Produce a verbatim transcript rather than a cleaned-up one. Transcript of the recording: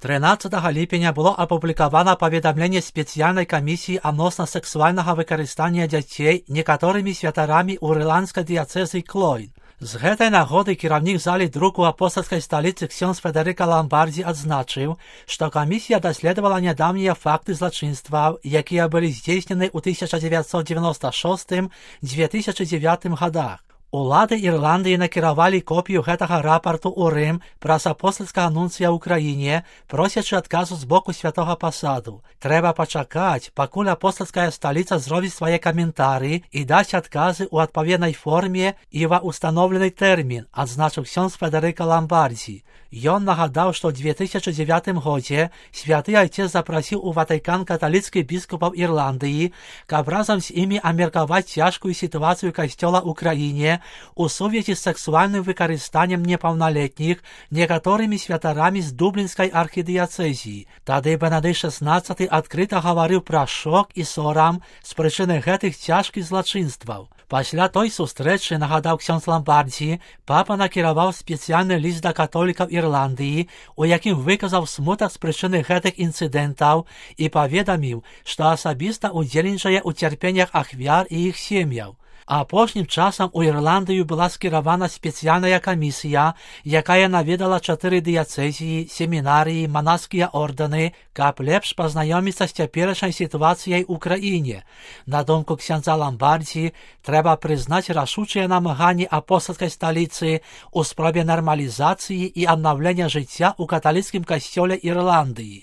тринадцятого ліпеня було апублікавана паведамленне спецыяльнай камісіі адносна сэксуальнага выкарыстання дзяцей некаторымі святарамі ў ірландскай дыяцэзы Клойн. З гэтай нагоды кіраўнік залі друку апостальскай сталіцы ксёндз Федэрыка Ламбардзі адзначыў, што камісія даследавала нядаўнія факты злачынстваў, якія былі здзейснены ў тысяча дзевяцьсот дзевяноста шостым — дзве тысячы дзевятым гадах. Улады Ірландыі накіравалі копію гэтага рапарту ў Рым праз апостальскага нунцыя ў краіне, просячы адказу з боку святога пасаду. Трэба пачакаць, пакуль апостальская сталіца зробіць свае каментары і дасць адказы ў адпаведнай форме і ва ўстаноўлены тэрмін, адзначыў ксёндз Федэрыка Ламбардзі. Ён нагадаў, што ў дзве тысячы дзевятым годзе святы айцец запрасіў у Ватыкан каталіцкіх біскупаў Ірландыі, каб разам з імі абмеркаваць цяжкую сітуацыю касцёла ў краіне у сувязі з сексуальным выкарыстаннем непаўналетніх некаторымі святарамі з дублінскай архідыяцэзіі. Тады Бенедыкт шаснаццаты адкрыта гаварыў пра шок і сорам з прычыны гэтых цяжкіх злачынстваў. Пасля той сустрэчы, нагадаў ксёндз Ламбардзі, папа накіраваў спецыяльны ліст да католікаў Ірландыі, у якім выказаў смутак з прычыны гэтых інцыдэнтаў і паведаміў, што асабіста ўдзельнічае ў цярпеннях ахвяр і іх сем'яў. Апошнім часам у Ірландыю была скіравана спецыяльная камісія, якая наведала чатыры дыяцэзіі, семінарыі, манаскія ордэны, каб лепш пазнаёміцца з цяперашняй сітуацыяй у краіне. На думку ксяндза Ламбардзі, трэба прызнаць рашучыя намаганні апостальскай сталіцы ў спробе нармалізацыі і аднаўлення жыцця ў каталіцкім касцёле Ірландыі.